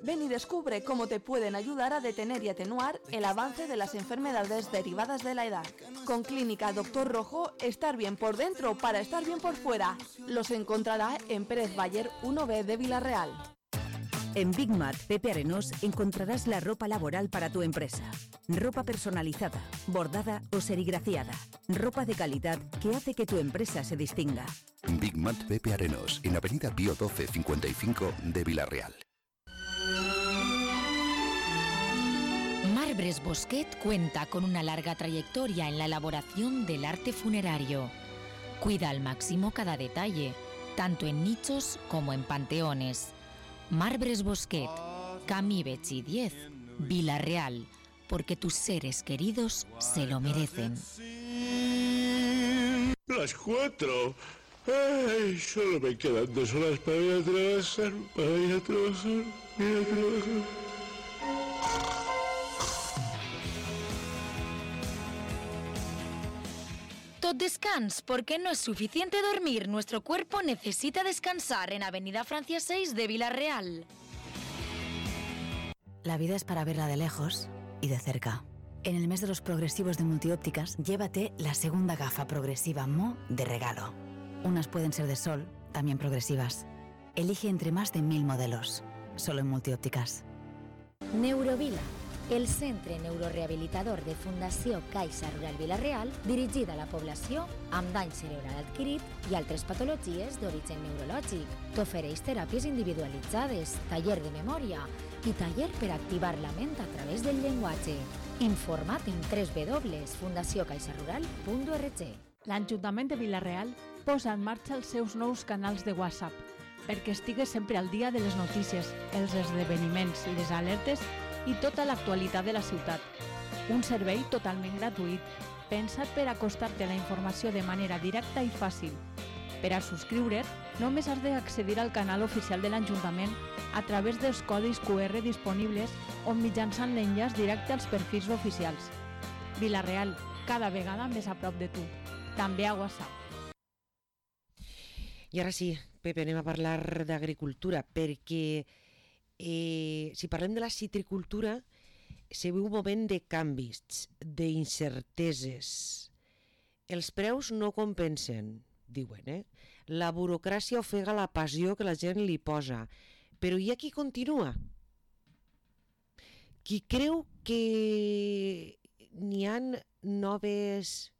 Ven y descubre cómo te pueden ayudar a detener y atenuar el avance de las enfermedades derivadas de la edad. Con Clínica Doctor Rojo, estar bien por dentro para estar bien por fuera. Los encontrará en Pérez Bayer 1B de Villarreal. En Big Mat Pepe Arenós encontrarás la ropa laboral para tu empresa. Ropa personalizada, bordada o serigrafiada. Ropa de calidad que hace que tu empresa se distinga. Big Mat Pepe Arenós, en Avenida Pío 1255 de Villarreal. Marbres Bosquet cuenta con una larga trayectoria en la elaboración del arte funerario. Cuida al máximo cada detalle, tanto en nichos como en panteones. Marbres Bosquet, Camí Betxí 10, Villarreal, porque tus seres queridos se lo merecen. Las 4. Ay, solo me quedan 2 horas para ir a trabajar, Tot descans, porque no es suficiente dormir. Nuestro cuerpo necesita descansar en Avenida Francia 6 de Villarreal. La vida es para verla de lejos y de cerca. En el mes de los progresivos de Multiópticas, llévate la segunda gafa progresiva Mo de regalo. Unas pueden ser de sol, también progresivas. Elige entre más de 1000 modelos, solo en Multiópticas. Neurovila, el centre neurorehabilitador de Fundació Caixa Rural Villarreal, dirigida a la població amb dany cerebral adquirit i altres patologies d'origen neurològic. T'ofereix teràpies individualitzades, taller de memòria i taller per activar la ment a través del llenguatge. Informa't en www.fundaciocaixarural.org. L'Ajuntament de Villarreal posa en marxa els seus nous canals de WhatsApp perquè estigues sempre al dia de les notícies, els esdeveniments, les alertes i tota l'actualitat de la ciutat. Un servei totalment gratuït, pensat per acostar-te a la informació de manera directa i fàcil. Per a subscriure't, només has d'accedir al canal oficial de l'Ajuntament a través dels codis QR disponibles o mitjançant l'enllaç directe als perfils oficials. Villarreal, cada vegada més a prop de tu. També a WhatsApp. I ara sí, Pepe, anem a parlar d'agricultura, perquè si parlem de la citricultura, se viu un moment de canvis, d'incerteses. Els preus no compensen, diuen, La burocràcia ofega la passió que la gent li posa, però hi ha qui continua. Qui creu que n'hi ha noves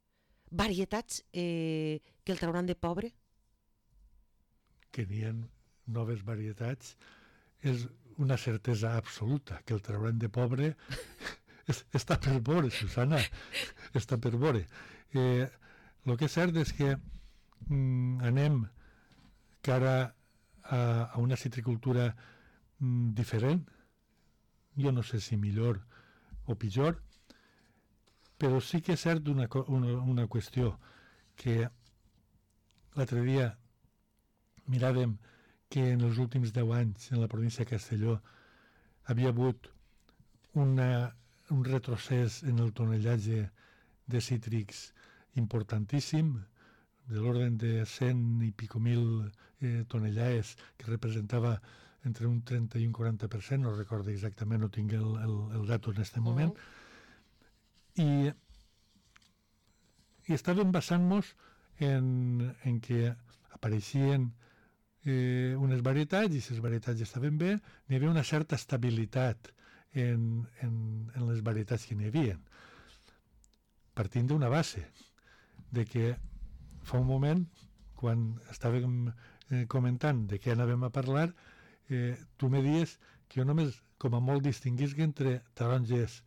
varietats que el trauran de pobre? Que n'hi ha noves varietats és una certesa absoluta, que el trauran de pobre està per veure, Susana, està per veure. El que és cert és que anem cara a una citricultura diferent, jo no sé si millor o pitjor, però sí que és cert una qüestió, que l'altre dia miràvem que en els últims 10 anys en la província de Castelló havia hagut un retrocés en el tonellatge de cítrics importantíssim, de l'ordre de 100 i pico mil tonellades, que representava entre un 30 i un 40%, no recordo exactament, no tinc el dato en aquest moment, i estàvem basant-nos en que apareixien unes varietats, i les varietats estaven bé, n'hi havia una certa estabilitat en les varietats que n'hi havia, partint d'una base, de que fa un moment, quan estàvem comentant de què anàvem a parlar, tu me dies que jo només, com a molt, distinguisc entre taronges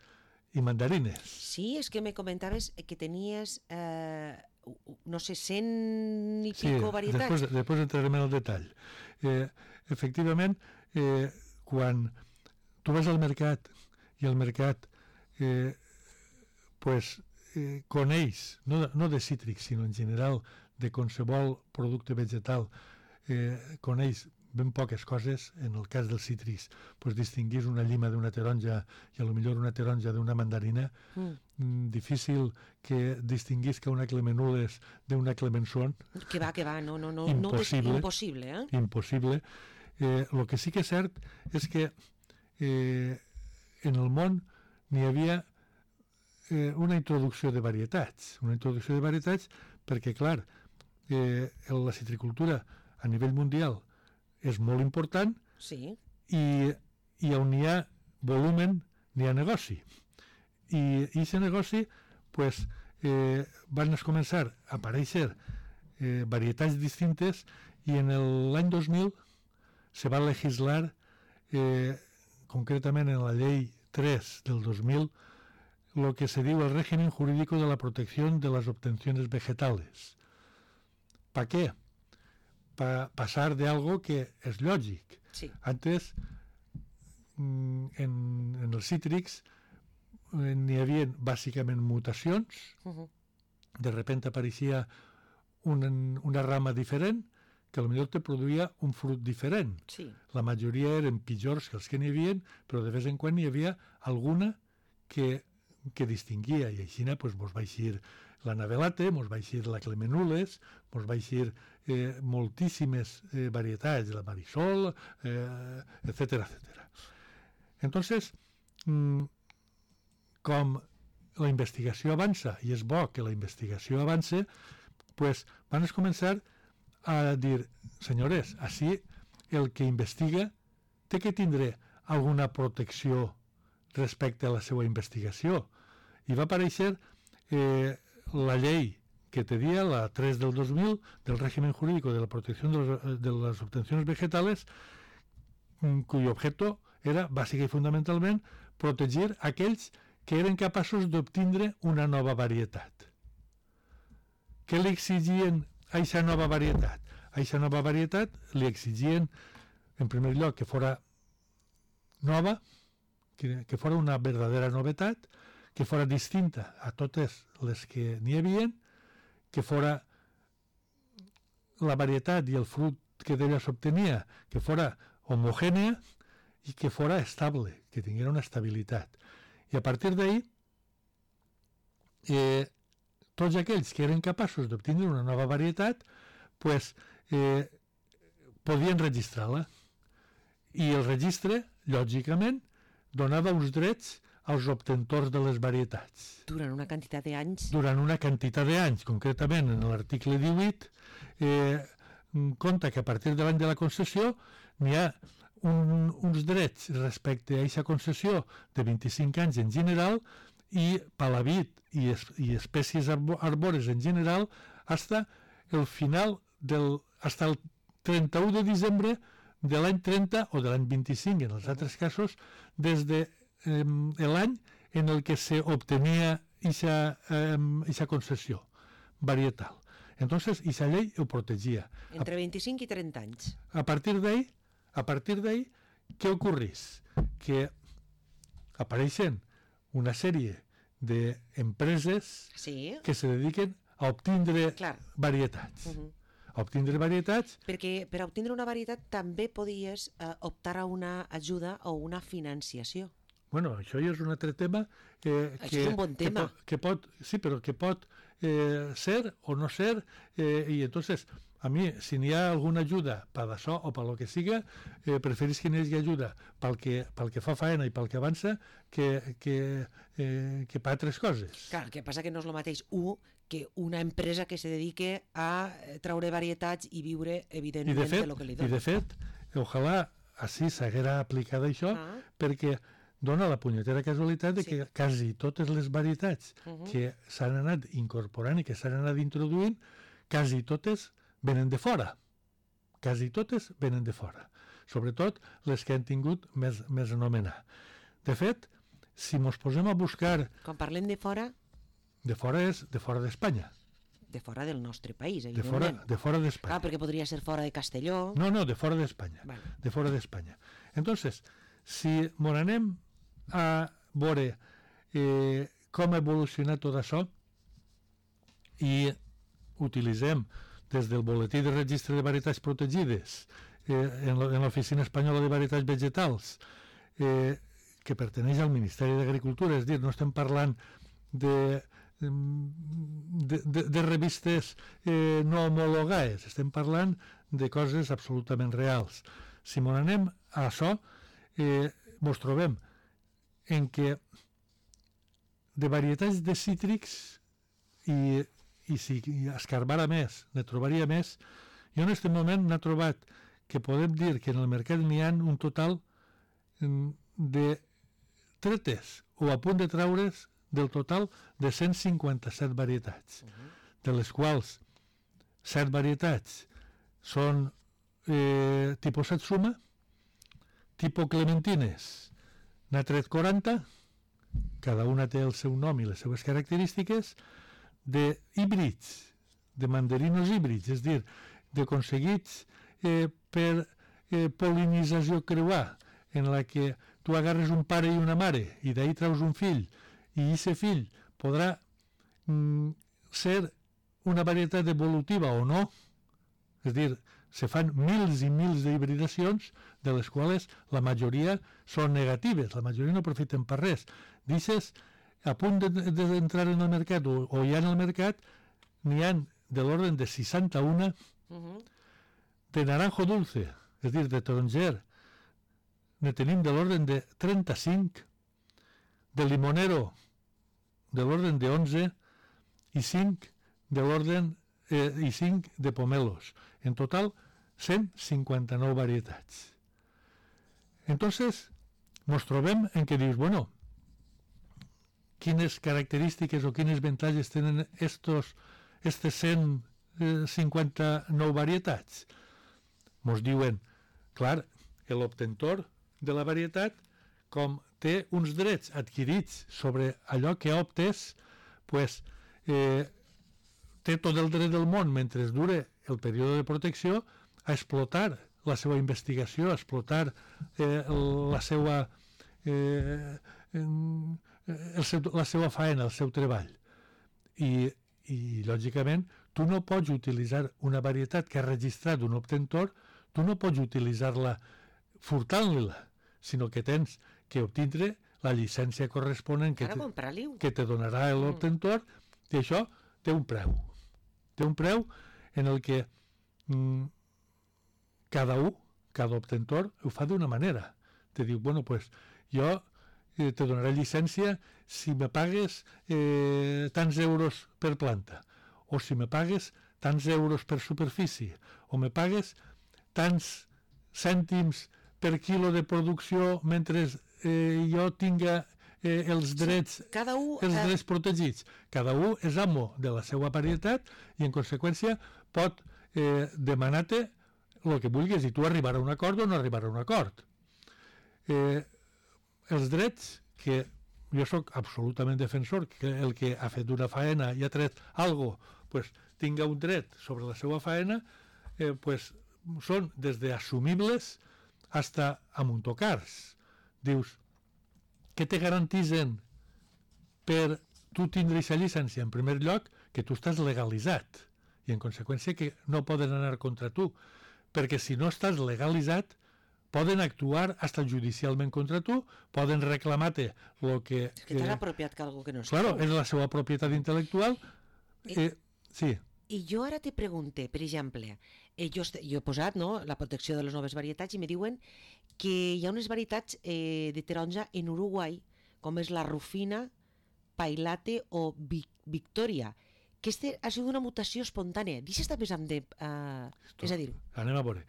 i mandarines. Sí, és que me comentaves que tenies, no sé, 100 i pico varietats. Sí, després entrarem en el detall. Efectivament, quan tu vas al mercat i el mercat coneix, no de cítrics, sinó en general de qualsevol producte vegetal, coneix ben poques coses. En el cas dels cítrics, distinguir una llima d'una taronja i a lo millor una taronja d'una mandarina, difícil que distinguisca una clemenudes d'una clemençon. Que va, no, impossible, impossible, impossible. El que sí que és cert és que en el món n'hi havia una introducció de varietats. Una introducció de varietats perquè, clar, la citricultura a nivell mundial és molt important i on hi ha volumen n'hi ha negoci. I aquest negoci van començar a aparèixer varietats distintes i en l'any 2000 se va legislar concretament en la llei 3 del 2000 lo que se diu el régimen jurídico de la protección de las obtenciones vegetales. ¿Para qué? Para pasar de algo que és lògic. Sí. Antes, en els cítrics n'hi havia bàsicament mutacions, de repente apareixia una rama diferent que potser te produïa un fruit diferent. Sí. La majoria eren pitjors que els que n'hi havia, però de vez en quan n'hi havia alguna que distinguia, i així mos va eixir la navelate, mos va eixir la clemenules, mos va eixir moltíssimes varietats, la marisol, etcètera, etcètera. Entonces, com la investigació avança, i és bo que la investigació avance, van començar a dir, senyores, així el que investiga té que tindre alguna protecció respecte a la seva investigació. I va aparèixer la llei que tenia, la 3 del 2000, del régimen jurídico de la protección de las obtenciones vegetales, cuyo objeto era, bàsica i fundamentalment, protegir aquells que eren capaços d'obtindre una nova varietat. Què li exigien a aquesta nova varietat? A aquesta nova varietat li exigien, en primer lloc, que fora nova, que fora una verdadera novetat, que fora distinta a totes les que n'hi havia, que fora la varietat i el fruit que d'ella s'obtenia, que fora homogènia i que fora estable, que tinguera una estabilitat. I a partir d'ahí, tots aquells que eren capaços d'obtenir una nova varietat, podien registrar-la. I el registre, lògicament, donava uns drets als obtentors de les varietats. Durant una quantitat d'anys? Durant una quantitat d'anys. Concretament, en l'article 18, compta que a partir de l'any de la concessió n'hi ha uns drets respecte a aquesta concessió de 25 anys en general i palavit i espècies arbores en general fins el final fins el 31 de desembre de l'any 30 o de l'any 25, en els altres casos, des de l'any en el que s'obtenia aquesta concessió varietal. Entonces, aquesta llei ho protegia. Entre 25 i 30 anys. A partir d'ahí, què ocorrís? Que apareixen una sèrie d'empreses que se dediquen a obtindre varietats. A obtindre varietats... Perquè per obtindre una varietat també podies optar a una ajuda o una financiació. Bueno, això ja és un altre tema això és un bon tema. Que pot ser o no ser, i entonces a mi, si n'hi ha alguna ajuda per d'això o per lo que siga, preferís que n'hi hagi ajuda pel que fa faena i pel que avança que per altres coses. Clar, el que passa que no és el mateix que una empresa que se dedique a traure varietats i viure, evidentment, de lo que li dona. I de fet, ojalà així s'haguera aplicat això, perquè dona la punyetera casualitat de que quasi totes les varietats que s'han anat incorporant i que s'han anat introduint, quasi totes venen de fora. Quasi totes venen de fora. Sobretot les que han tingut més anomenar. De fet, si mos posem a buscar... Quan parlem de fora... De fora és de fora d'Espanya. De fora del nostre país, evidentment. De fora d'Espanya. Perquè podria ser fora de Castelló... No, de fora d'Espanya. Vale. De fora d'Espanya. Entonces, si mos anem a veure com ha evolucionat tot això i utilitzem des del boletí de registre de varietats protegides en l'Oficina Espanyola de Varietats Vegetals que perteneix al Ministeri d'Agricultura, és dir, no estem parlant de revistes no homologades, estem parlant de coses absolutament reals. Si m'ho anem a això, ens trobem en què de varietats de cítrics i si escarbara més, ne trobaria més. Jo en aquest moment n'he trobat que podem dir que en el mercat n'hi ha un total de tretes o a punt de traure's del total de 157 varietats, de les quals 7 varietats són tipus Satsuma, tipus Clementines, n'ha tret 40, cada una té el seu nom i les seves característiques, de híbrids, de mandarinos híbrids, és dir, d'aconseguits per pol·linització creuar, en la que tu agarres un pare i una mare i d'ahir treus un fill, i aquest fill podrà ser una varietat evolutiva o no, és dir, se fan mils i mils d'hibridacions, de les quals la majoria són negatives, la majoria no aprofiten per res. Dices, a punt d'entrar en el mercat o ja en el mercat, n'hi ha de l'ordre de 61 de naranjo dulce, és dir, de taronger, ne tenim de l'ordre de 35, de limonero de l'ordre de 11 i 5 de l'ordre i 5 de pomelos. En total, 159 varietats. Entonces, ens trobem en què dius, bueno, quines característiques o quines avantatges tenen estes 159 varietats? Ens diuen, clar, l'obtentor de la varietat, com té uns drets adquirits sobre allò que optes, pues, té tot el dret del món, mentre dure el període de protecció, a explotar la seva investigació, a explotar la seva faena, el seu treball. I, lògicament, tu no pots utilitzar una varietat que ha registrat un obtentor, tu no pots utilitzar-la furtant-la, sinó que tens que obtindre la llicència corresponent que te donarà l'obtentor, i això té un preu. Té un preu en el que cada obtentor ho fa d'una manera. Te diu, bueno, pues jo te donaré llicència si me pagues tants euros per planta, o si me pagues tants euros per superfície, o me pagues tants cèntims per quilo de producció mentre jo tinga els drets protegits. Cada un és amo de la seva varietat i, en conseqüència, pot demanar-te el que vulguis i tu arribarà a un acord o no arribarà a un acord. Els drets, que jo sóc absolutament defensor, que el que ha fet una faena i ha tret alguna cosa, pues, tinga un dret sobre la seva faena, pues, són des d'assumibles fins a amuntocars. Dius, què te garantitzen per tu tindre aquesta llicència? En primer lloc, que tu estàs legalitzat i, en conseqüència, que no poden anar contra tu, perquè si no estàs legalitzat poden actuar fins judicialment contra tu, poden reclamar-te el que... És que t'has apropiat que algo que no és. Claro, és la seva propietat intel·lectual. Sí. I jo ara te pregunte, per exemple, jo he posat la protecció de les noves varietats i me diuen que hi ha unes varietats de taronja en Uruguai, com és la Rufina, Pailate o Victoria, que ha sigut una mutació espontània. Deixa estar més és a dir... Anem a veure.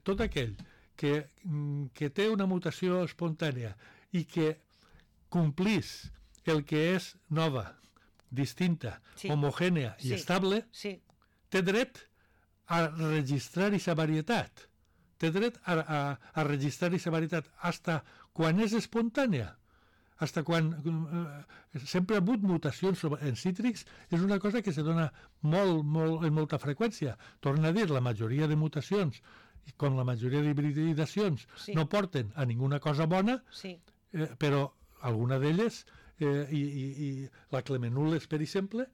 Tot aquell que té una mutació espontània i que complís el que és nova, distinta, homogènia i estable, té dret a registrar aquesta varietat. Té dret a registrar aquesta varietat fins quan és espontània. Fins quan sempre ha hagut mutacions en cítrics, és una cosa que se dona amb molta freqüència. Torna a dir, la majoria de mutacions, com la majoria d'hibridacions, no porten a ninguna cosa bona, però alguna d'elles, i la Clemenules, per exemple,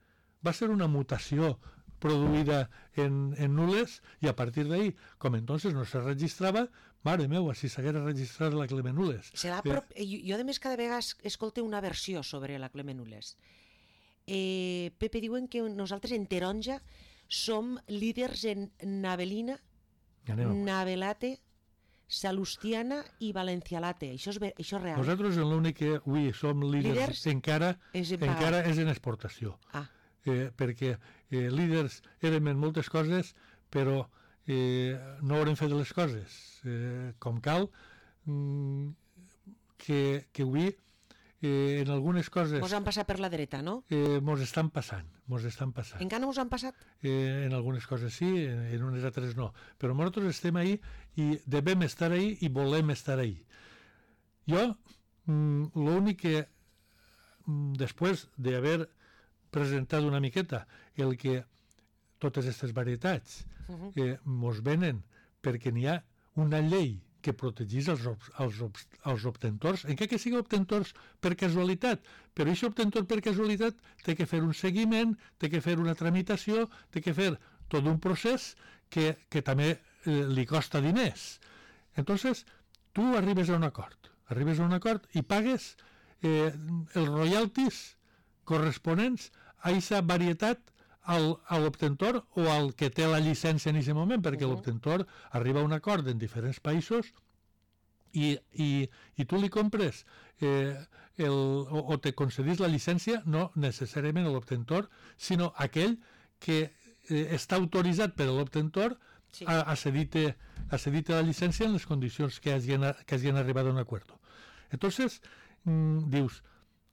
va ser una mutació produïda en nules i a partir d'ahí, com entonces no se registrava, mare meva, si s'haguera registrat la Clemenules. Jo, a més, cada vegada escolte una versió sobre la Clemenules. Pepe, diuen que nosaltres en taronja som líders en navelina, navelate, Salustiana i Valencialate. Això és real. Nosaltres l'únic que avui som líders encara és en exportació. Perquè líders érem en moltes coses, però no haurem fet les coses com cal, que avui en algunes coses... Mos han passat per la dreta, no? Mos estan passant. Encara no mos han passat? En algunes coses sí, en unes altres no. Però nosaltres estem ahí i devem estar ahí i volem estar ahí. Jo, l'únic que, després d'haver presentat una miqueta el que totes aquestes varietats mos venen perquè n'hi ha una llei que protegís els obtentors, encara que sigui obtentors per casualitat, però aquest obtentor per casualitat té que fer un seguiment, té que fer una tramitació, té que fer tot un procés que també li costa diners. Entonces, tu arribes a un acord i pagues els royalties corresponents a aquesta varietat a l'obtentor o al que té la llicència en aquest moment, perquè l'obtentor arriba a un acord en diferents països i tu li compres o te concedís la llicència, no necessàriament l'obtentor, sinó aquell que està autoritzat per l'obtentor a cedir-te la llicència en les condicions que hagin arribat a un acord. Entonces, dius,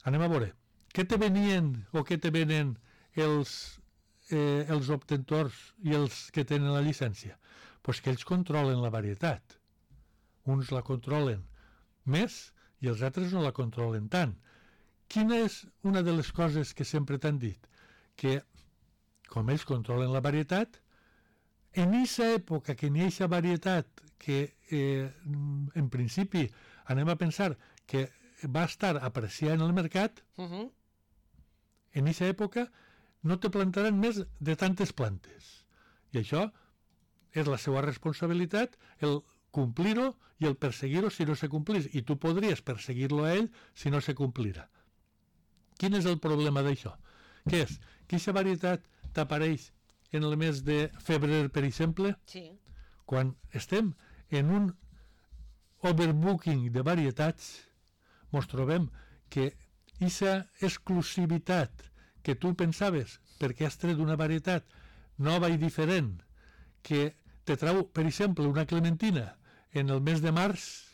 anem a veure, què te venien o què te venen els obtentors i els que tenen la llicència? Pues que ells controlen la varietat. Uns la controlen més i els altres no la controlen tant. Quina és una de les coses que sempre t'han dit? Que, com ells controlen la varietat, en aquesta època que n'hi ha aquesta varietat que en principi anem a pensar que va estar apreciada en el mercat, en aquesta època no te plantaran més de tantes plantes. I això és la seva responsabilitat, el complir-ho i el perseguir-ho si no se complís. I tu podries perseguir-lo a ell si no se complirà. Quin és el problema d'això? Què és? Que aquesta varietat t'apareix en el mes de febrer, per exemple? Sí. Quan estem en un overbooking de varietats, mos trobem que aquesta exclusivitat que tu pensaves, perquè has tret una varietat nova i diferent, que te trau, per exemple, una clementina en el mes de març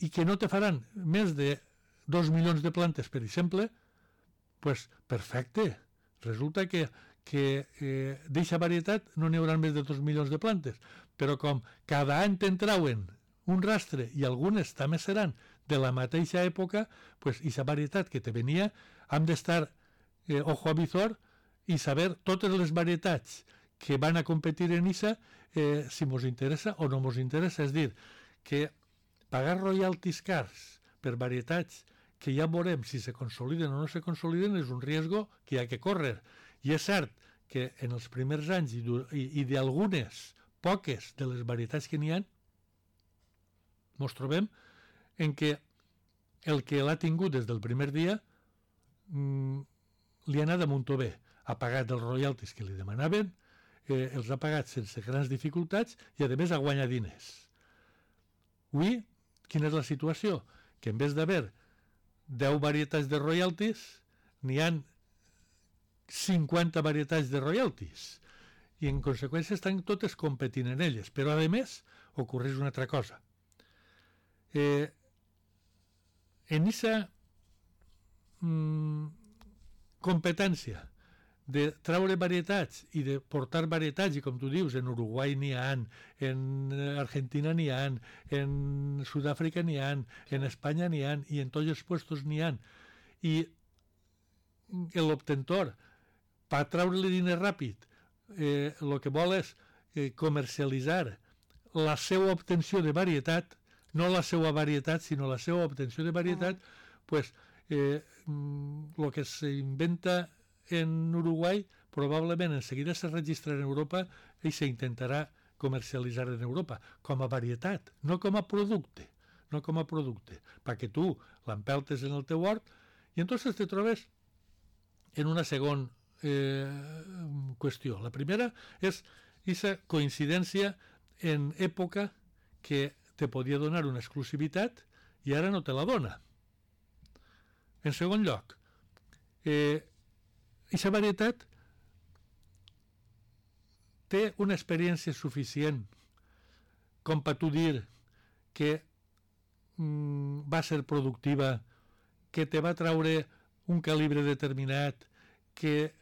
i que no te faran més de 2 milions de plantes, per exemple, pues perfecte. Resulta que d'eixa varietat no n'hi haurà més de 2 milions de plantes, però com cada any te'n trauen un rastre i algunes també seran de la mateixa època, pues aquesta varietat que te venia hem d'estar ojo a visor i saber totes les varietats que van a competir en ISA si mos interessa o no mos interessa. És dir, que pagar royalties cars per varietats que ja veurem si se consoliden o no se consoliden és un riesgo que hi ha que córrer. I és cert que en els primers anys i d'algunes poques de les varietats que n'hi ha, mos trobem en què el que l'ha tingut des del primer dia li ha anat de muntó bé. Ha pagat els royalties que li demanaven, els ha pagat sense grans dificultats i a més ha guanyat diners. Avui, quina és la situació? Que en vez d'haver 10 varietats de royalties, n'hi ha 50 varietats de royalties i en conseqüència estan totes competint en elles, però a més ocorreix una altra cosa. En aquesta competència de treure varietats i de portar varietats, i com tu dius, en Uruguai n'hi ha, en Argentina n'hi ha, en Sud-àfrica n'hi ha, en Espanya n'hi ha, i en tots els puestos n'hi ha, i l'obtentor, per treure-li diner ràpid, el que vol és comercialitzar la seva obtenció de varietat, no la seva varietat, sinó la seva obtenció de varietat, pues el que s'inventa en Uruguai probablement en seguida se registrarà en Europa i s'intentarà comercialitzar en Europa com a varietat, no com a producte, perquè tu l'empeltes en el teu hort i entonces te trobes en una segona qüestió. La primera és aquesta coincidència en època que te podia donar una exclusivitat i ara no te la dona. En segon lloc, aquesta varietat té una experiència suficient com per tu dir que va ser productiva, que te va traure un calibre determinat, que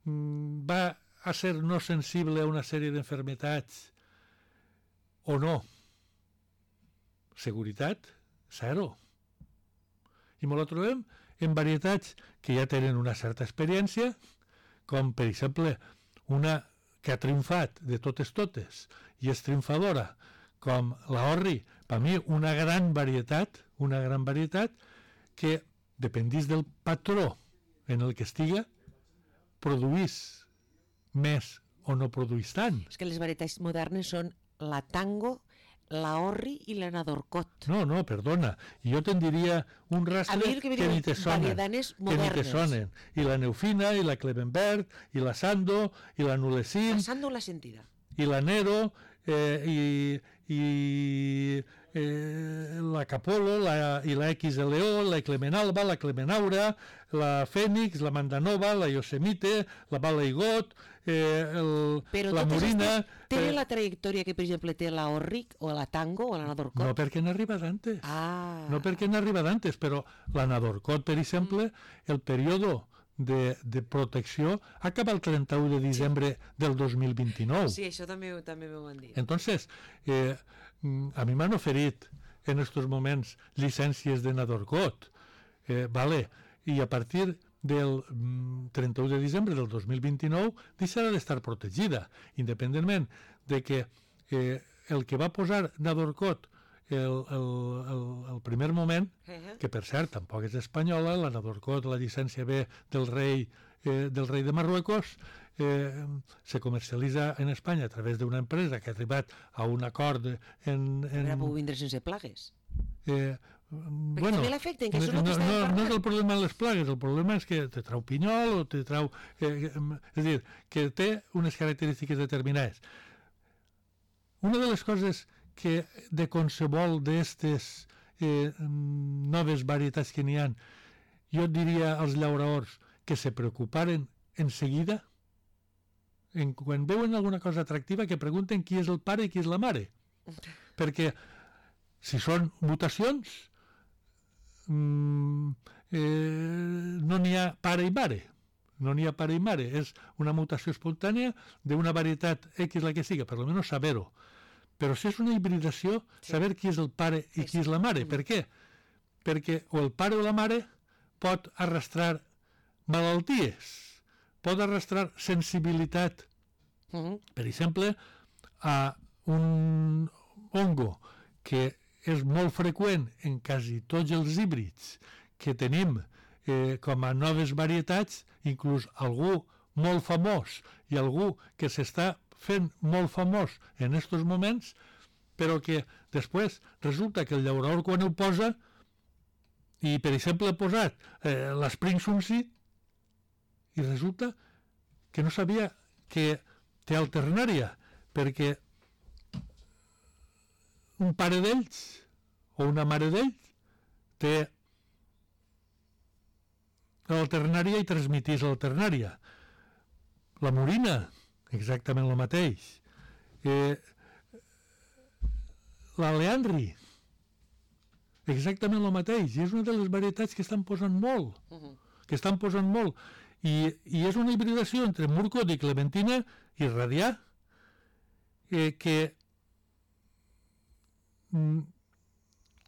va a ser no sensible a una sèrie d'enfermetats, o no. Seguretat, zero. I ens la trobem en varietats que ja tenen una certa experiència, com per exemple una que ha triomfat de totes i és triomfadora, com la Orri, per mi una gran varietat que, dependís del patró en el que estiga, produís més o no produís tant. És que les varietats modernes són la Tango, la Orri i la Nadorcot. No, perdona. Jo te'n diria un rastre que ni te sonen. I la Neufina, i la Clemenbert, i la Sando, i la Nulessin... La Sando l'ha sentida. I la Nero, i la Capolo, i la XLO, la Clemenalba, la Clemenaura, la Fènix, la Mandanova, la Yosemite, la Balaigot, la Morina... Té la trajectòria que, per exemple, té la Orric o la Tango o la Nadorcot? No perquè n'arriba d'antes. No perquè n'arriba d'antes, però la Nadorcot, per exemple, el període de protecció acaba el 31 de desembre del 2029. Sí, això també m'ho van dir. Entonces, a mi m'han oferit en estos moments llicències de Nadorcot, i a partir del 31 de desembre del 2029 deixarà d'estar protegida, independentment de que el que va posar Nadorcot el primer moment, que per cert tampoc és espanyola, la Nadorcot, la llicència ve del rei de Marruecos, se comercialitza en Espanya a través d'una empresa que ha arribat a un acord Ara puc vindre sense plagues. Bueno, també l'afecten, que això no és el problema de les plagues, el problema és que te trau pinyol o te trau... és a dir, que té unes característiques determinades. Una de les coses que de qualsevol d'aquestes noves varietats que n'hi ha, jo diria als llauradors que se preocuparen en seguida, quan veuen alguna cosa atractiva, que pregunten qui és el pare i qui és la mare. Perquè si són mutacions, no n'hi ha pare i mare. No n'hi ha pare i mare. És una mutació espontània d'una varietat X la que siga, per almenys saber-ho. Però si és una hibridació, saber qui és el pare i qui és la mare. Per què? Perquè o el pare o la mare pot arrastrar malalties, pot arrastrar sensibilitat. Per exemple, a un hongo que és molt freqüent en quasi tots els híbrids que tenim com a noves varietats, inclús algú molt famós i algú que s'està fent molt famós en estos moments, però que després resulta que el llaurador quan ho posa, i per exemple ha posat l'Spring Sunseed, i resulta que no sabia que té alternària, perquè un pare d'ells o una mare d'ells té l'alternària i transmitís l'alternària. La morina, exactament el mateix. La leandri, exactament el mateix. I és una de les varietats que estan posant molt. I és una hibridació entre Murcot i Clementina i Radià, que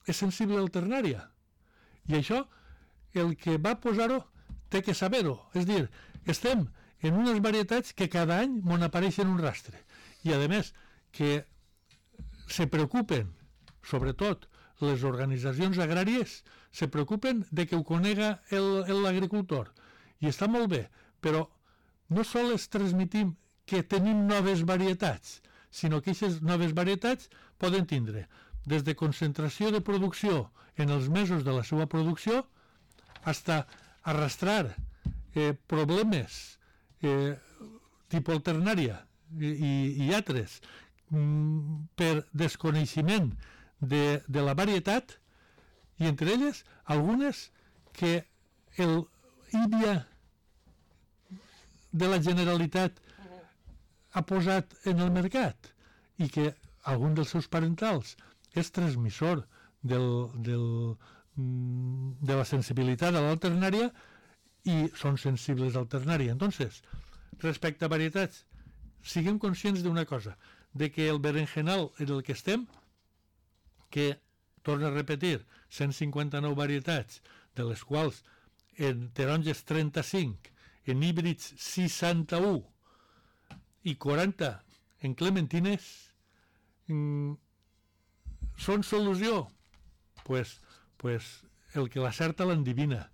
és sensible a l'alternària. I això, el que va posar-ho, té que saber-ho. És dir, estem en unes varietats que cada any m'on apareixen un rastre. I, a més, que se preocupen, sobretot les organitzacions agràries, se preocupen de que ho conega l'agricultor. I està molt bé, però no sols transmitim que tenim noves varietats, sinó que aquestes noves varietats poden tindre des de concentració de producció en els mesos de la seva producció fins a arrastrar problemes tipus alternària i altres per desconeixement de la varietat, i entre elles algunes que el IBIA de la Generalitat ha posat en el mercat i que algun dels seus parentals és transmissor de la sensibilitat a l'alternària i són sensibles a l'alternària. Entonces, respecte a varietats, siguem conscients d'una cosa, de que el berenjenal en el que estem, que, torno a repetir, 159 varietats, de les quals en taronges 35, en híbrids 61 i 40 en clementines, són solució? Pues el que l'acerta l'endivina,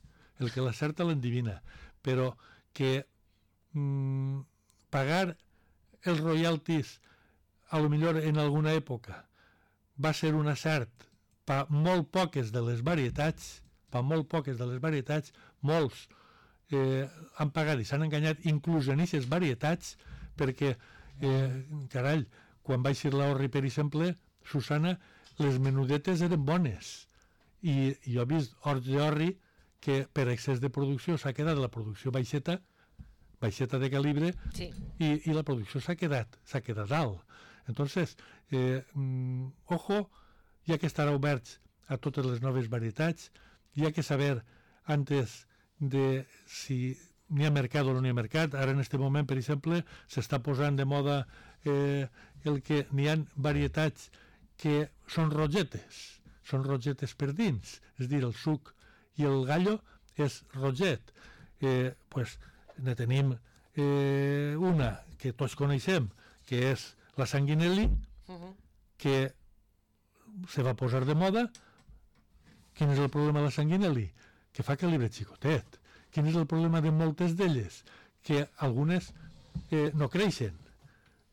però que pagar els royalties a lo millor en alguna època va ser un acert per molt poques de les varietats, molts han pagat i s'han enganyat inclús en aquestes varietats perquè, carall, quan va eixir l'orri, per exemple, Susana, les menudetes eren bones i jo he vist horts d'orri que per excés de producció s'ha quedat la producció baixeta de calibre, sí. i la producció s'ha quedat alt. Entonces, ojo, hi ha que estar oberts a totes les noves varietats, hi ha que saber antes de si n'hi ha mercat o no n'hi ha mercat. Ara en aquest moment, per exemple, s'està posant de moda el que n'hi ha varietats que són rogetes per dins, és a dir, el suc i el gallo és roget. Pues ne tenim una que tots coneixem, que és la sanguinelli, que se va posar de moda. Quin és el problema de la sanguinelli? Que fa calibre xicotet. Quin és el problema de moltes d'elles? Que algunes no creixen,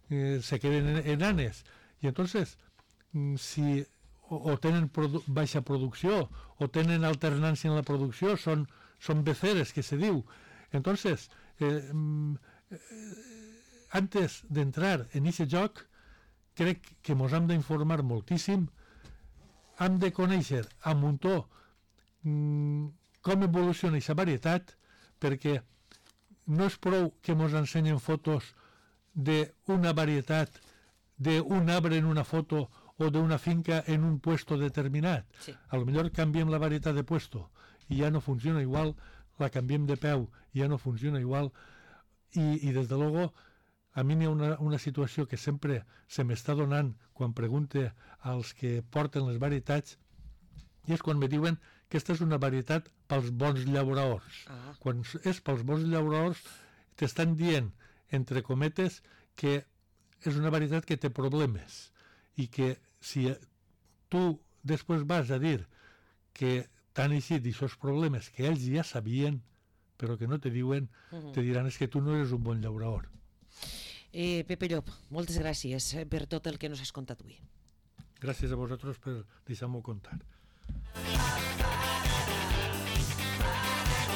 se queden enanes. I entonces, si o tenen baixa producció o tenen alternància en la producció, són beceres, que se diu. Entonces, antes d'entrar en aquest joc, crec que ens hem d'informar moltíssim, hem de conèixer a muntó com evoluciona aquesta varietat, perquè no és prou que ens ensenyen fotos d'una varietat, d'un arbre en una foto o d'una finca en un puesto determinat. Sí. A lo millor canviem la varietat de puesto i ja no funciona igual, la canviem de peu i ja no funciona igual, i des de luego a mi n'hi ha una situació que sempre se m'està donant quan pregunte als que porten les varietats, i és quan me diuen que aquesta és una varietat pels bons llauradors. Quan és pels bons llauradors t'estan dient, entre cometes, que és una varietat que té problemes i que si tu després vas a dir que t'han eixit aquests problemes que ells ja sabien però que no te diuen, te diran és que tu no eres un bon llaurador. Pepe Llop, moltes gràcies per tot el que nos has contat avui. Gràcies a vosaltres per deixar-m'ho contar.